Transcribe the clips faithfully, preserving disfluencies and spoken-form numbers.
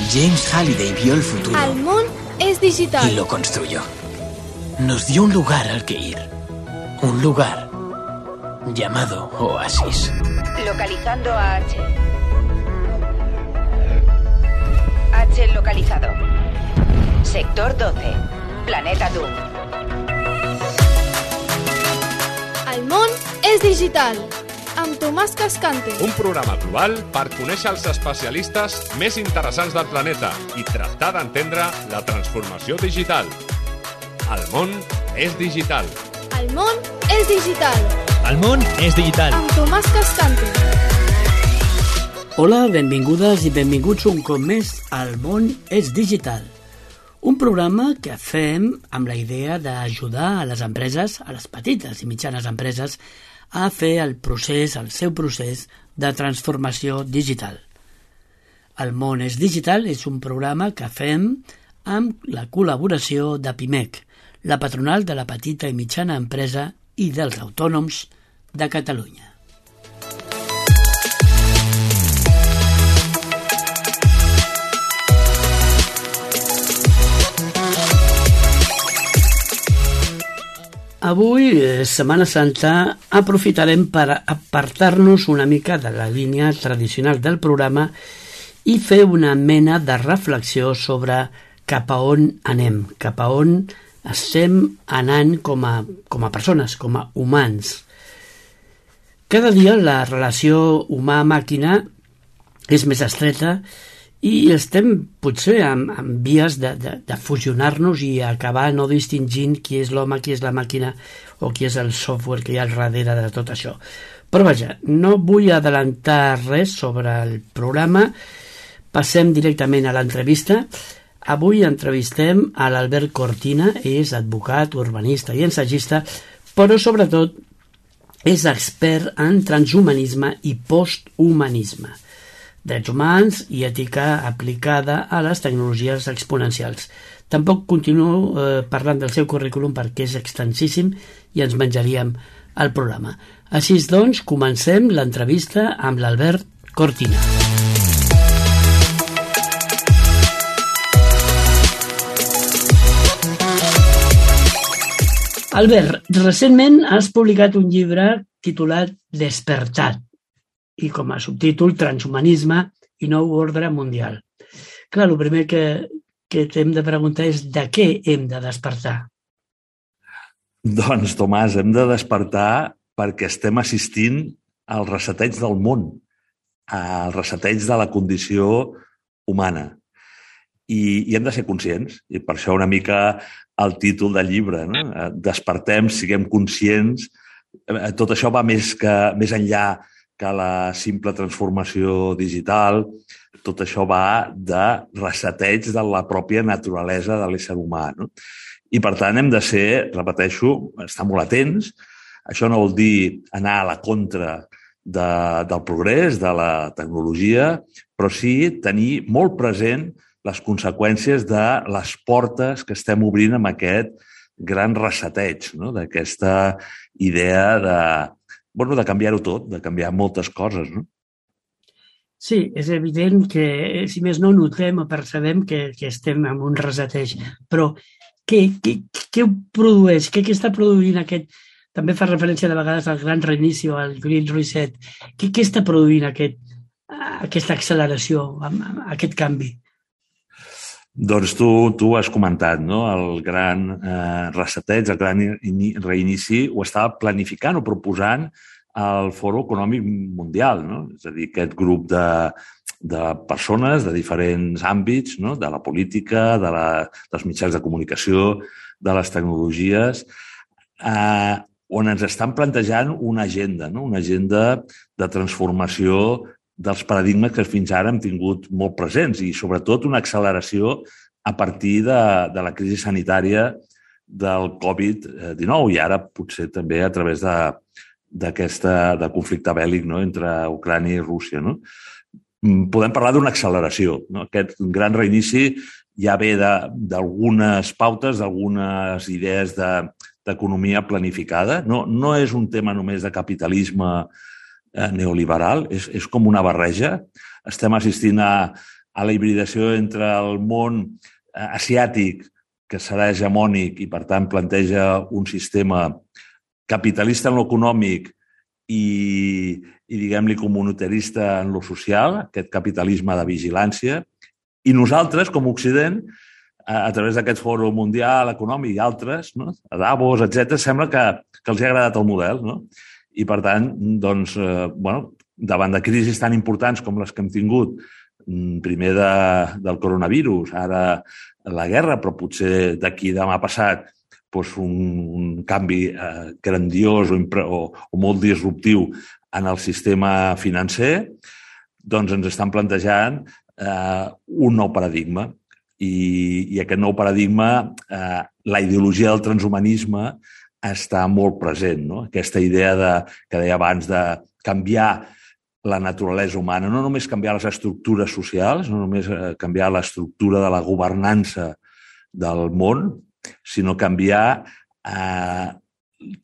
James Halliday vio el futuro. El món es digital. Y lo construyó. Nos dio un lugar al que ir. Un lugar llamado Oasis. Localizando a H. H localizado. Sector doce. Planeta Doom. El món és digital. Amb Tomàs Cascante. Un programa global per conèixer els especialistes més interessants del planeta i tractar d'entendre la transformació digital. El món és digital. El món és digital. El món és digital. Amb Tomàs Cascante. Hola, benvingudes i benvinguts un cop més al món és digital. Un programa que fem amb la idea d'ajudar a les empreses, a les petites i mitjanes empreses, a fer el procés, el seu procés de transformació digital. El món és digital és un programa que fem amb la col·laboració de Pimec, la patronal de la petita i mitjana empresa i dels autònoms de Catalunya. Avui, Setmana Santa, aprofitarem per apartar-nos una mica de la línia tradicional del programa i fer una mena de reflexió sobre cap a on anem, cap a on estem anant com a, com a persones, com a humans. Cada dia la relació humà-màquina és més estreta i estem potser en, en vies de, de, de fusionar-nos i acabar no distingint qui és l'home, qui és la màquina o qui és el software que hi ha al darrere de tot això. Però vaja, no vull adelantar res sobre el programa, passem directament a l'entrevista. Avui entrevistem a l'Albert Cortina, és advocat, urbanista i ensagista, però sobretot és expert en transhumanisme i posthumanisme, drets humans i ètica aplicada a les tecnologies exponencials. Tampoc continuo eh, parlant del seu currículum perquè és extensíssim i ens menjaríem el programa. Així doncs, comencem l'entrevista amb l'Albert Cortina. Albert, recentment has publicat un llibre titulat Despertat, i com a subtítol Transhumanisme i nou ordre mundial. Clar, el primer que, que t'hem de preguntar és de què hem de despertar? Doncs, Tomàs, hem de despertar perquè estem assistint al reseteig del món, al reseteig de la condició humana. I, i hem de ser conscients, i per això una mica el títol del llibre, no? Despertem, siguem conscients. Tot això va més, que, més enllà que la simple transformació digital. Tot això va de reseteig de la pròpia naturalesa de l'ésser humà, no? I, per tant, hem de ser, repeteixo, estar molt atents. Això no vol dir anar a la contra de, del progrés, de la tecnologia, però sí tenir molt present les conseqüències de les portes que estem obrint amb aquest gran reseteig, no? D'aquesta idea de Bueno, de canviar-ho tot, de canviar moltes coses, no? Sí, és evident que, si més no, notem o percebem que, que estem en un reseteig. Però què, què, què ho produeix? Què, què està produint aquest... També fa referència de vegades al gran reinici o al Great Reset. Què, què està produint aquest, aquesta acceleració, aquest canvi? Doncs tu, tu has comentat, no? El gran eh, reseteig, el gran reinici, ho estava planificant o proposant el Fòrum Econòmic Mundial, no? És a dir, aquest grup de, de persones de diferents àmbits, no? De la política, de la, dels mitjans de comunicació, de les tecnologies, eh, on ens estan plantejant una agenda, no? Una agenda de transformació dels paradigmes que fins ara hem tingut molt presents i, sobretot, una acceleració a partir de, de la crisi sanitària del covid dinou i ara potser també a través de, d'aquesta, de conflicte bèl·lic, no? Entre Ucrània i Rússia, no? Podem parlar d'una acceleració, no? Aquest gran reinici ja ve d'algunes pautes, d'algunes idees de, d'economia planificada. No, no és un tema només de capitalisme neoliberal, és, és com una barreja. Estem assistint a, a la hibridació entre el món asiàtic, que serà hegemònic i, per tant, planteja un sistema capitalista en l'econòmic i, i diguem-li, comunitarista en lo social, aquest capitalisme de vigilància. I nosaltres, com a Occident, a través d'aquest fòrum mundial, econòmic i altres, no? A Davos, etcètera, sembla que, que els ha agradat el model, no? I, per tant, doncs, eh, bueno, davant de crisis tan importants com les que hem tingut, primer de, del coronavirus, ara la guerra, però potser d'aquí demà passat doncs un, un canvi eh, grandiós o, o, o molt disruptiu en el sistema financer, doncs ens estan plantejant eh, un nou paradigma. I, i aquest nou paradigma, eh, la ideologia del transhumanisme està molt present, no? Aquesta idea de, que deia abans de canviar la naturalesa humana, no només canviar les estructures socials, no només canviar l'estructura de la governança del món, sinó canviar eh,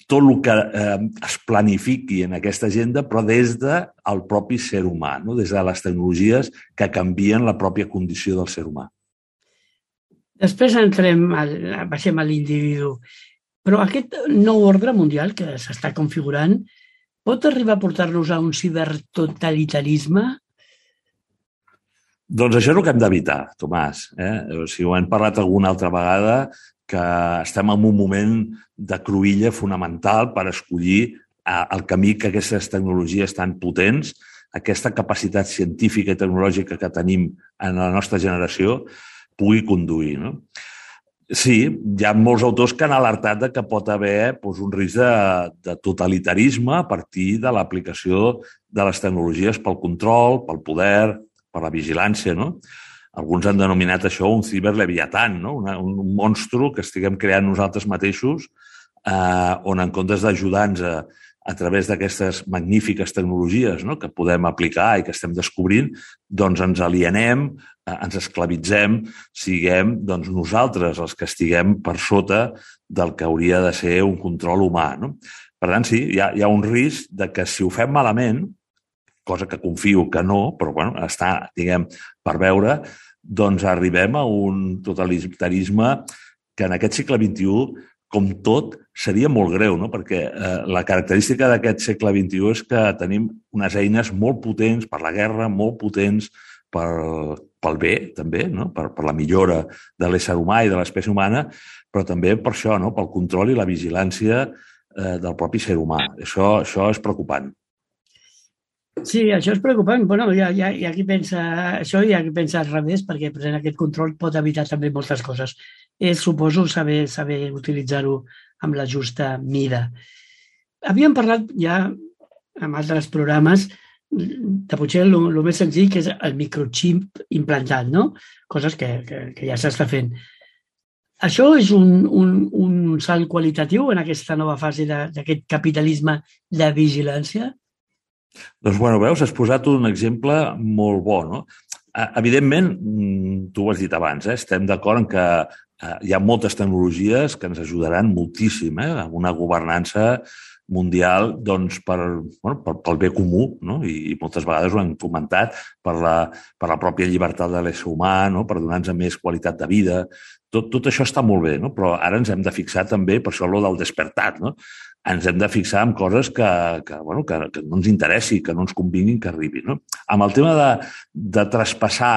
tot el que eh, es planifiqui en aquesta agenda, però des del propi ser humà, no? Des de les tecnologies que canvien la pròpia condició del ser humà. Després entrem, al, baixem a l'individu, però aquest nou ordre mundial que s'està configurant pot arribar a portar-nos a un cibertotalitarisme? Doncs això és el que hem d'evitar, Tomàs. Eh? O sigui, ho hem parlat alguna altra vegada, que estem en un moment de cruïlla fonamental per escollir el camí que aquestes tecnologies tan potents, aquesta capacitat científica i tecnològica que tenim en la nostra generació, pugui conduir, no? Sí, hi ha molts autors que han alertat de que pot haver doncs, un risc de, de totalitarisme a partir de l'aplicació de les tecnologies pel control, pel poder, per la vigilància, no? Alguns han denominat això un ciberleviatan, no? Una, un monstru que estiguem creant nosaltres mateixos, eh, on en comptes d'ajudar-nos a, a través d'aquestes magnífiques tecnologies, no? Que podem aplicar i que estem descobrint, doncs ens alienem, eh, ens esclavitzem, siguem doncs, nosaltres els que estiguem per sota del que hauria de ser un control humà, no? Per tant, sí, hi ha, hi ha un risc de que si ho fem malament, cosa que confio que no, però bueno, està, diguem, per veure, doncs arribem a un totalitarisme que en aquest segle vint-i-u, com tot, seria molt greu, no? Perquè eh, la característica d'aquest segle vint-i-u és que tenim unes eines molt potents per la guerra, molt potents per, pel bé, també, no? per, per la millora de l'ésser humà i de l'espècie humana, però també per això, no? Pel control i la vigilància eh, del propi ser humà. Això, això és preocupant. Sí, això és preocupant. Bueno, hi ha, hi ha, hi ha qui pensa això i hi ha qui pensa al revés, perquè present aquest control pot evitar també moltes coses. És, suposo, saber, saber utilitzar-ho amb la justa mida. Havíem parlat ja en altres programes de potser el, el més senzill, que és el microchip implantat, no? Coses que, que, que ja s'està fent. Això és un, un, un salt qualitatiu en aquesta nova fase d'aquest capitalisme de vigilància? Doncs, bueno, veus, has posat un exemple molt bo, no? Evidentment, tu ho has dit abans, eh? Estem d'acord en que hi ha moltes tecnologies que ens ajudaran moltíssim eh? A una governança mundial doncs, per, bueno, per, pel bé comú, no? I, i moltes vegades ho hem comentat, per la, per la pròpia llibertat de l'ésser humà, no? Per donar-nos més qualitat de vida. Tot, tot això està molt bé, no? Però ara ens hem de fixar també, per això allò del despertat, no? Ens hem de fixar en coses que, que, bueno, que, que no ens interessi, que no ens convinguin que arribin, no? Amb el tema de, de traspassar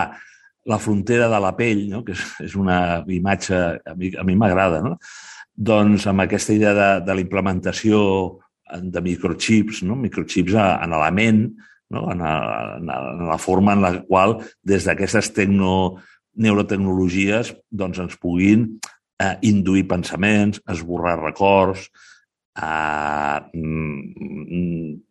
la frontera de la pell, no? Que és, és una imatge, a mi, a mi m'agrada, no? Doncs amb aquesta idea de, de la implementació de microchips, no? Microchips en la ment, no? En, a, en la forma en la qual des d'aquestes tecno, neurotecnologies doncs ens puguin eh, induir pensaments, esborrar records, a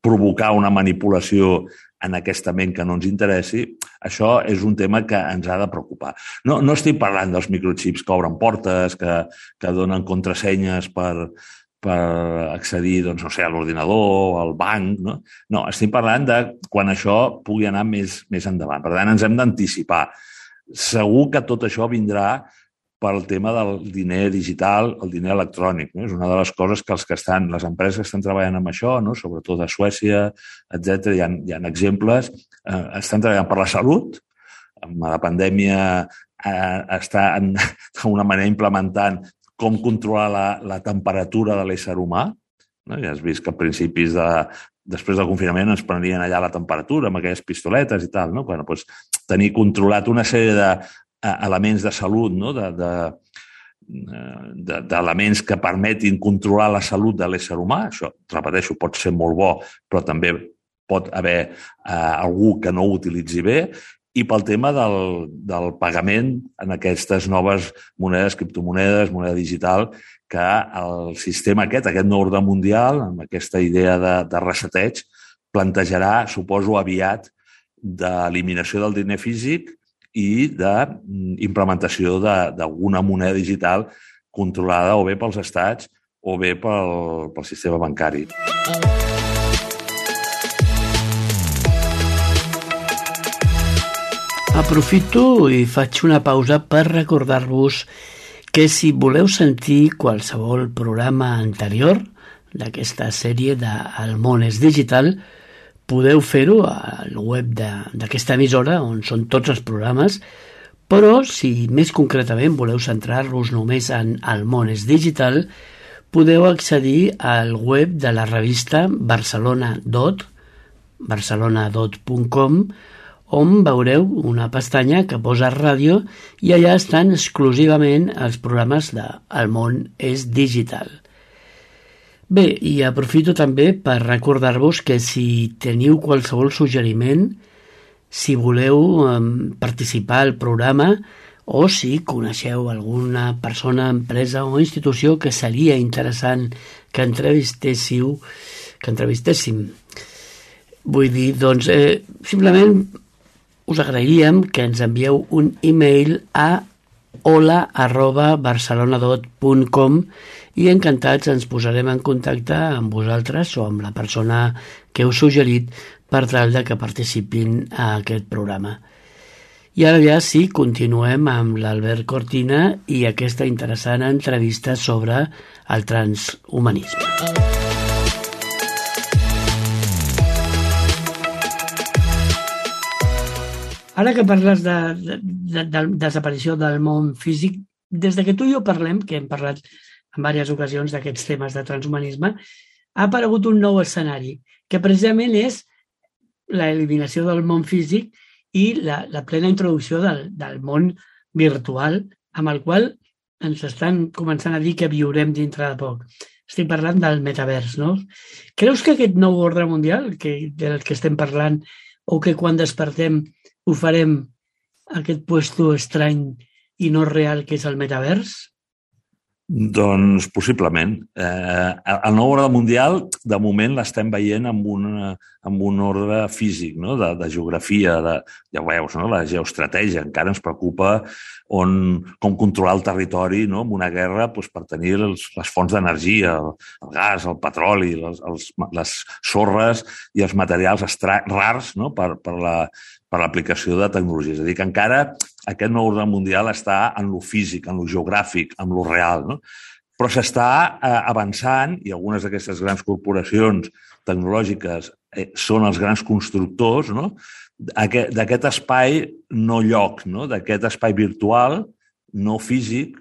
provocar una manipulació en aquesta ment que no ens interessi, això és un tema que ens ha de preocupar. No, no estic parlant dels microchips que obren portes, que, que donen contrasenyes per, per accedir, doncs, no sé, a l'ordinador, al banc, no? No, estic parlant de quan això pugui anar més, més endavant. Per tant, ens hem d'anticipar. Segur que tot això vindrà pel tema del diner digital, el diner electrònic. No? És una de les coses que els que estan, les empreses que estan treballant amb això, no? Sobretot a Suècia, etcètera, hi ha, hi ha exemples, eh, estan treballant per la salut, amb la pandèmia eh, està d'alguna manera implementant com controlar la, la temperatura de l'ésser humà. No? Ja has vist que a principis de... Després del confinament ens prenien allà la temperatura amb aquelles pistoletes i tal. No? Bueno, doncs, tenir controlat una sèrie d'elements de, de salut, no? de, de, de, d'elements que permetin controlar la salut de l'ésser humà. Això, repeteixo, pot ser molt bo, però també pot haver eh, algú que no ho utilitzi bé. I pel tema del, del pagament en aquestes noves monedes, criptomonedes, moneda digital, que el sistema aquest, aquest nou ordre mundial, amb aquesta idea de, de reseteig, plantejarà, suposo, aviat d'eliminació del diner físic i d'implementació d'alguna moneda digital controlada o bé pels estats o bé pel, pel sistema bancari. Aprofito i faig una pausa per recordar-vos que si voleu sentir qualsevol programa anterior d'aquesta sèrie de El món és digital, podeu fer-ho al web d'aquesta emissora, on són tots els programes, però si més concretament voleu centrar-vos només en El món és digital, podeu accedir al web de la revista barcelona dot punt com, on veureu una pestanya que posa ràdio i allà estan exclusivament els programes de El món és digital. Bé, i aprofito també per recordar-vos que si teniu qualsevol suggeriment, si voleu eh, participar al programa o si coneixeu alguna persona, empresa o institució que seria interessant que entrevistéssiu, que entrevistéssim. Vull dir, doncs, eh, simplement us agrairíem que ens envieu un e-mail a hola arroba barcelonadot punt com i encantats ens posarem en contacte amb vosaltres o amb la persona que heu suggerit per tal de que participin a aquest programa. I ara ja sí, continuem amb l'Albert Cortina i aquesta interessant entrevista sobre el transhumanisme. Ara que parles de, de, de, de desaparició del món físic, des de que tu i jo parlem, que hem parlat en diverses ocasions d'aquests temes de transhumanisme, ha aparegut un nou escenari, que precisament és l'eliminació del món físic i la, la plena introducció del, del món virtual, amb el qual ens estan començant a dir que viurem dintre de poc. Estic parlant del metavers, no? Creus que aquest nou ordre mundial, que, del que estem parlant, o que quan despertem ho farem aquest puesto estrany i no real que és el metavers? Doncs possiblement. Eh, el nou ordre mundial, de moment, l'estem veient amb un, amb un ordre físic, no? de, de geografia, de, ja ho veus, no? La geoestratègia. Encara ens preocupa on, com controlar el territori, no? En una guerra doncs, per tenir els, les fonts d'energia, el, el gas, el petroli, les, els, les sorres i els materials extra, rars, no? per, per la per l'aplicació de tecnologia. És a dir, que encara aquest nou ordre mundial està en lo físic, en lo geogràfic, en lo real, no? Però s'està eh, avançant i algunes d'aquestes grans corporacions tecnològiques eh, són els grans constructors, no? D'aquest espai no lloc, no? D'aquest espai virtual, no físic,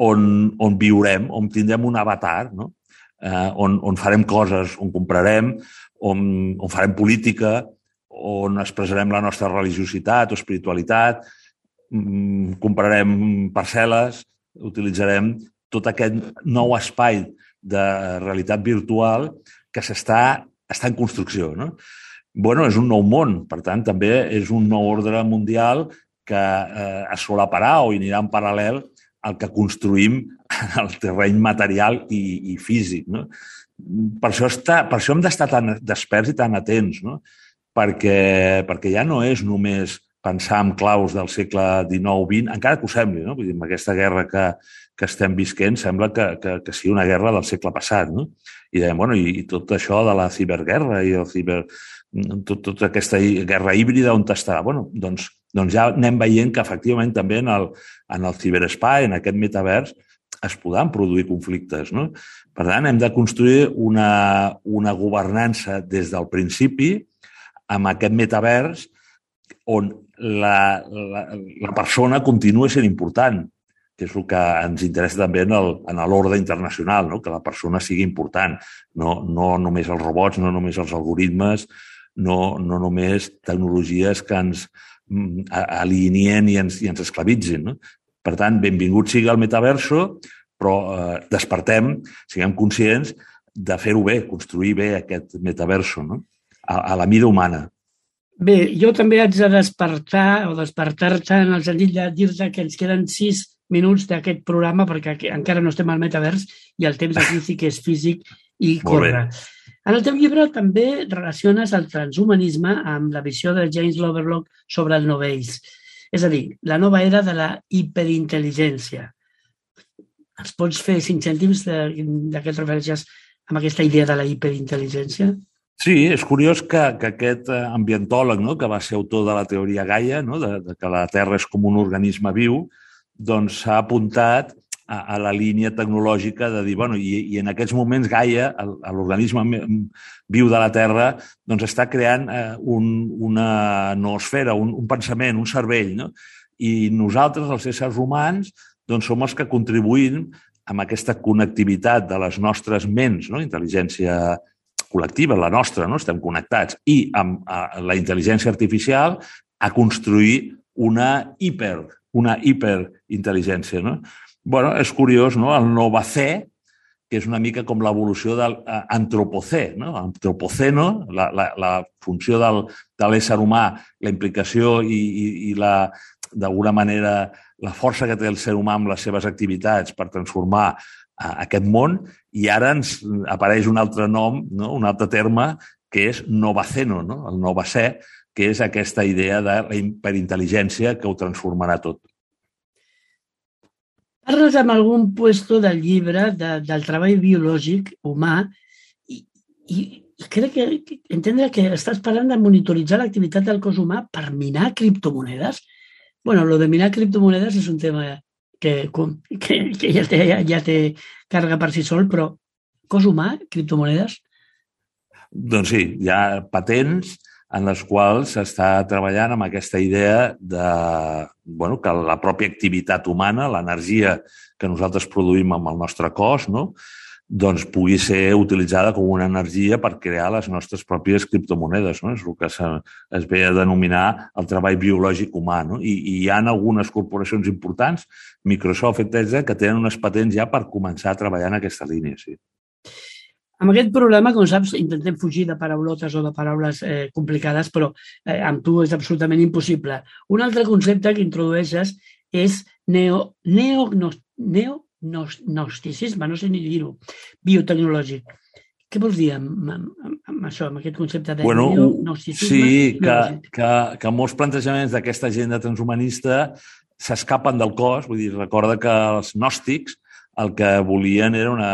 on, on viurem, on tindrem un avatar, no? eh, on, on farem coses, on comprarem, on, on farem política, on expressarem la nostra religiositat o espiritualitat, comprarem parcel·les, utilitzarem tot aquest nou espai de realitat virtual que s'està està en construcció, no? Bueno, és un nou món, per tant, també és un nou ordre mundial que eh, es solaparà o anirà en paral·lel al que construïm en el terreny material i, i físic, no? Per això, està, per això hem d'estar tan desperts i tan atents, no? Perquè, perquè ja no és només pensar en claus del segle dinou vint, encara que ho sembli, no? Vull dir, amb aquesta guerra que, que estem visquent sembla que, que, que sigui una guerra del segle passat, no? I dèiem, bueno, i, i tot això de la ciberguerra i el ciber... Tot, tota aquesta guerra híbrida on està? Bueno, doncs, doncs ja anem veient que efectivament també en el, en el ciberespai, en aquest metavers, es podran produir conflictes, no? Per tant, hem de construir una, una governança des del principi amb aquest metavers on la, la, la persona continua sent important, que és el que ens interessa també en l'ordre internacional, no? Que la persona sigui important, no, no només els robots, no només els algoritmes, no, no només tecnologies que ens alienien i ens, i ens esclavitzin. No? Per tant, benvingut sigui el metaverso, però eh, despertem, siguem conscients de fer-ho bé, construir bé aquest metaverso, no? a, a la mida humana. Bé, jo també haig de despertar o despertar-te en el sentit de dir-te que ens queden sis minuts d'aquest programa perquè encara no estem al metavers i el temps aquí sí que és físic i corre. En el teu llibre també relaciones el transhumanisme amb la visió de James Lovelock sobre el novells, és a dir, la nova era de la hiperintel·ligència. Ens pots fer cinc cèntims de, de què et refereixes amb aquesta idea de la hiperintel·ligència? Sí, és curiós que, que aquest ambientòleg, no?, que va ser autor de la teoria Gaia, no?, de, de que la Terra és com un organisme viu, doncs s'ha apuntat a, a la línia tecnològica de dir, bueno, i, i en aquests moments Gaia, l'organisme viu de la Terra, doncs està creant eh, un, una noosfera, un, un pensament, un cervell, no? I nosaltres, els éssers humans, doncs som els que contribuïm amb aquesta connectivitat de les nostres ments, no? Intel·ligència col·lectiva, la nostra, no? Estem connectats, i amb a, la intel·ligència artificial a construir una hiper, una hiperintel·ligència, no? Bueno, és curiós, no? El novacè, que és una mica com l'evolució de l'antropocè, no? Antropoceno, la, la, la funció del, de l'ésser humà, la implicació i, i, i la, d'alguna manera, la força que té el ser humà amb les seves activitats per transformar aquest món, i ara ens apareix un altre nom, no? Un altre terme, que és novaceno, no? El novacè, que és aquesta idea de la hiperintel·ligència que ho transformarà tot. Parles amb algun puesto del llibre de, del treball biològic humà i, i, i crec que, que entendre que estàs parlant de monitoritzar l'activitat del cos humà per minar criptomonedes. Bueno, lo de minar criptomonedes és un tema que, que, que ja, té, ja té càrrega per si sol, però cos humà, criptomonedes? Doncs sí, hi ha patents en les quals s'està treballant amb aquesta idea de, bueno, que la pròpia activitat humana, l'energia que nosaltres produïm amb el nostre cos, no?, doncs pugui ser utilitzada com una energia per crear les nostres pròpies criptomonedes, no? És el que se, es ve a denominar el treball biològic humà, no? I, i hi ha algunes corporacions importants, Microsoft, etcètera, que tenen unes patents ja per començar a treballar en aquesta línia, sí. Amb aquest programa, com saps, intentem fugir de paraulotes o de paraules eh, complicades, però eh, amb tu és absolutament impossible. Un altre concepte que introdueixes és neo, neo, no, neo gnosticisme, no sé ni dir-ho, biotecnològic. Què vols dir amb, amb, amb això, amb aquest concepte de bueno, neognosticisme? Sí, que, que, que molts plantejaments d'aquesta agenda transhumanista s'escapen del cos. Vull dir, recorda que els gnòstics el que volien era una,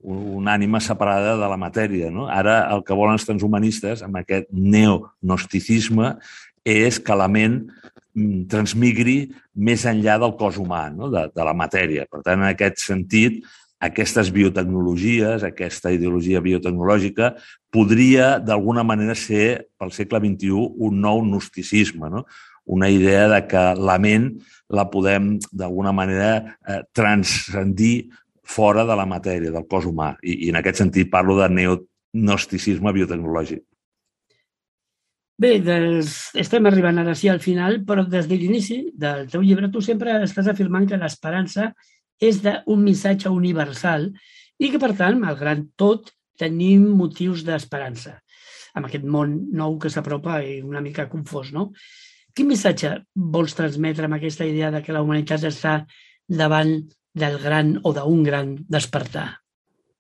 una ànima separada de la matèria, no? Ara el que volen els transhumanistes, amb aquest neognosticisme, és que la ment transmigri més enllà del cos humà, no? de, de la matèria. Per tant, en aquest sentit, aquestes biotecnologies, aquesta ideologia biotecnològica, podria d'alguna manera ser, pel segle vint-i-u, un nou gnosticisme, no? Una idea de que la ment la podem, d'alguna manera, eh, transcendir fora de la matèria, del cos humà. I, i en aquest sentit parlo de neognosticisme biotecnològic. Bé, des, estem arribant ara sí al final, però des de l'inici del teu llibre tu sempre estàs afirmant que l'esperança és d'un missatge universal i que, per tant, malgrat tot, tenim motius d'esperança. Amb aquest món nou que s'apropa i una mica confós, no? Quin missatge vols transmetre amb aquesta idea de que la humanitat està davant del gran o d'un gran despertar?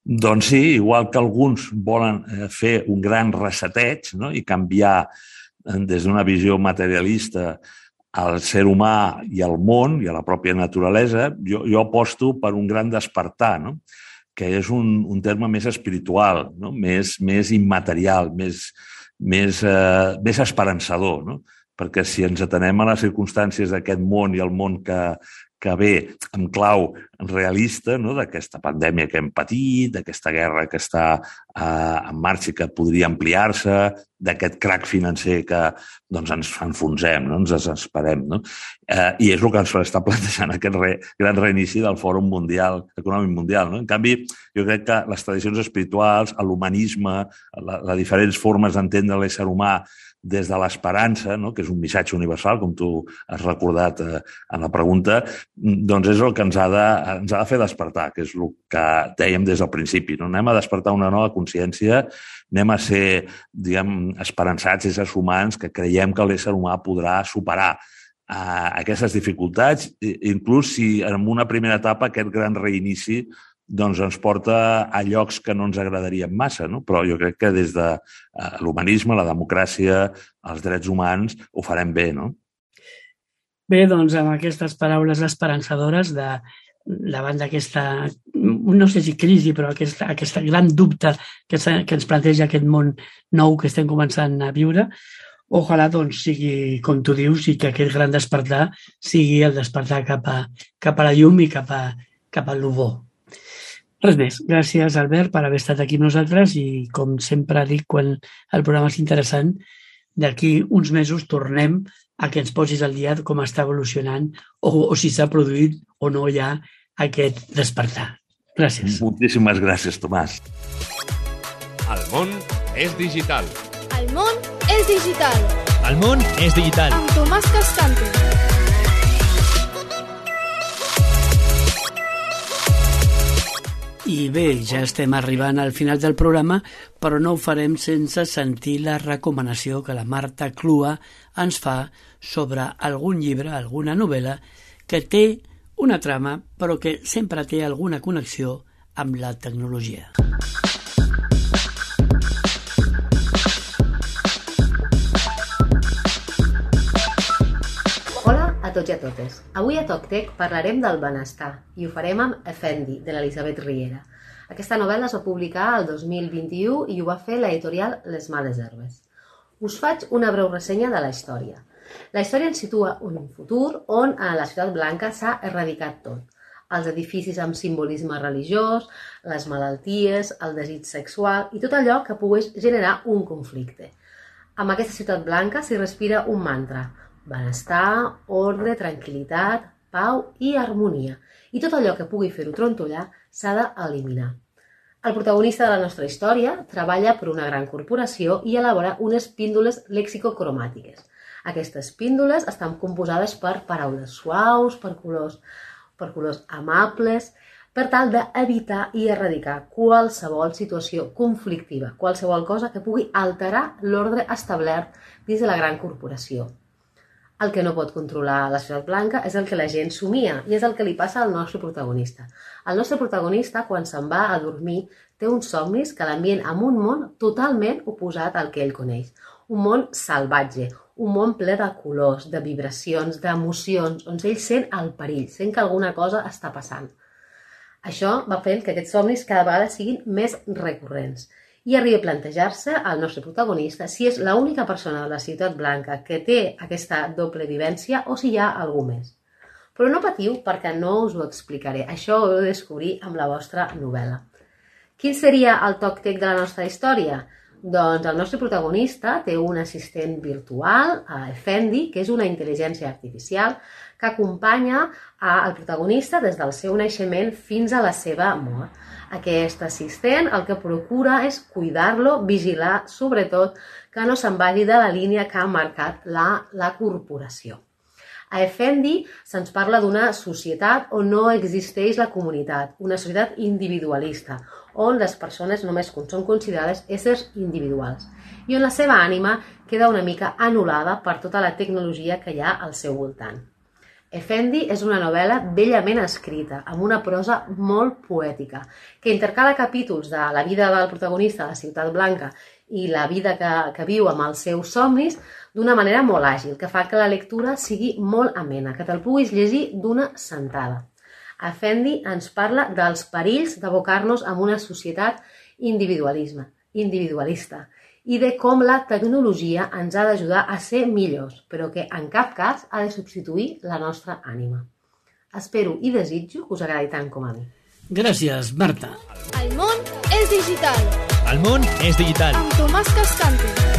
Doncs sí, igual que alguns volen fer un gran reseteig, no? I canviar des d'una visió materialista al ser humà i al món i a la pròpia naturalesa, jo, jo aposto per un gran despertar, no? Que és un, un terme més espiritual, no? més, més immaterial, més, més, eh, més esperançador, no? perquè si ens atenem a les circumstàncies d'aquest món i el món que, que ve en clau realista, no? D'aquesta pandèmia que hem patit, d'aquesta guerra que està eh, en marxa i que podria ampliar-se, d'aquest crac financer que doncs, ens enfonsem, no? Ens desesperem. No? Eh, I és el que ens està plantejant aquest re, gran reinici del Fòrum Mundial, Econòmic Mundial. No? En canvi, jo crec que les tradicions espirituals, l'humanisme, les diferents formes d'entendre l'ésser humà des de l'esperança, no? Que és un missatge universal, com tu has recordat eh, en la pregunta, doncs és el que ens ha, de, ens ha de fer despertar, que és el que dèiem des del principi. No? Anem a despertar una nova consciència, anem a ser, diguem, esperançats, éssers humans, que creiem que l'ésser humà podrà superar eh, aquestes dificultats, inclús si en una primera etapa aquest gran reinici doncs ens porta a llocs que no ens agradarien massa, no? Però jo crec que des de l'humanisme, la democràcia, els drets humans, ho farem bé, no? Bé, doncs amb aquestes paraules esperançadores de, davant d'aquesta, no sé si crisi, però aquesta, aquesta gran dubte que, que ens planteja aquest món nou que estem començant a viure, ojalà doncs sigui, com tu dius, i que aquest gran despertar sigui el despertar cap a, cap a la llum i cap a, cap a l'ubó. Res més. Gràcies, Albert, per haver estat aquí amb nosaltres i, com sempre dic, quan el programa és interessant, d'aquí uns mesos tornem a que ens posis al dia com està evolucionant o, o si s'ha produït o no ja aquest despertar. Gràcies. Moltíssimes gràcies, Tomàs. El món és digital. El món és digital. El món és digital. Amb Tomàs Cascante. I bé, ja estem arribant al final del programa, però no ho farem sense sentir la recomanació que la Marta Clua ens fa sobre algun llibre, alguna novel·la, que té una trama, però que sempre té alguna connexió amb la tecnologia. Hola a tots i a totes. Avui a TocTec parlarem del benestar i ho farem amb Effendi, de l'Elisabet Riera. Aquesta novel·la es va publicar el dos mil vint-i-u i ho va fer l'editorial Les Males Herbes. Us faig una breu ressenya de la història. La història ens situa en un futur on a la Ciutat Blanca s'ha erradicat tot. Els edificis amb simbolisme religiós, les malalties, el desig sexual i tot allò que pogués generar un conflicte. Amb aquesta Ciutat Blanca s'hi respira un mantra: benestar, ordre, tranquil·litat, pau i harmonia. I tot allò que pugui fer-ho trontollar s'ha d'eliminar. El protagonista de la nostra història treballa per una gran corporació i elabora unes píndoles lexicocromàtiques. Aquestes píndoles estan composades per paraules suaus, per colors, per colors amables, per tal d'evitar i erradicar qualsevol situació conflictiva, qualsevol cosa que pugui alterar l'ordre establert dins de la gran corporació. El que no pot controlar la Ciutat Blanca és el que la gent somia i és el que li passa al nostre protagonista. El nostre protagonista, quan se'n va a dormir, té uns somnis que l'envien a un món totalment oposat al que ell coneix. Un món salvatge, un món ple de colors, de vibracions, d'emocions, on ell sent el perill, sent que alguna cosa està passant. Això va fent que aquests somnis cada vegada siguin més recurrents. I arriba a plantejar-se al nostre protagonista si és l'única persona de la Ciutat Blanca que té aquesta doble vivència o si hi ha algú més. Però no patiu perquè no us ho explicaré, això ho heu de descobrir amb la vostra novel·la. Quin seria el toc-tec de la nostra història? Doncs el nostre protagonista té un assistent virtual, Effendi, que és una intel·ligència artificial que acompanya al protagonista des del seu naixement fins a la seva mort. Aquest assistent el que procura és cuidar-lo, vigilar, sobretot, que no se'n vagi de la línia que ha marcat la, la corporació. A Effendi se'ns parla d'una societat on no existeix la comunitat, una societat individualista, on les persones només són considerades éssers individuals i on la seva ànima queda una mica anul·lada per tota la tecnologia que hi ha al seu voltant. Effendi és una novel·la bellament escrita, amb una prosa molt poètica, que intercala capítols de la vida del protagonista de la Ciutat Blanca i la vida que, que viu amb els seus somnis d'una manera molt àgil, que fa que la lectura sigui molt amena, que te'l puguis llegir d'una sentada. Effendi ens parla dels perills d'abocar-nos en una societat individualisme, individualista i de com la tecnologia ens ha d'ajudar a ser millors, però que en cap cas ha de substituir la nostra ànima. Espero i desitjo que us agradi tant com a mi. Gràcies, Marta. El món és digital. El món és digital. Amb Tomàs Cascante.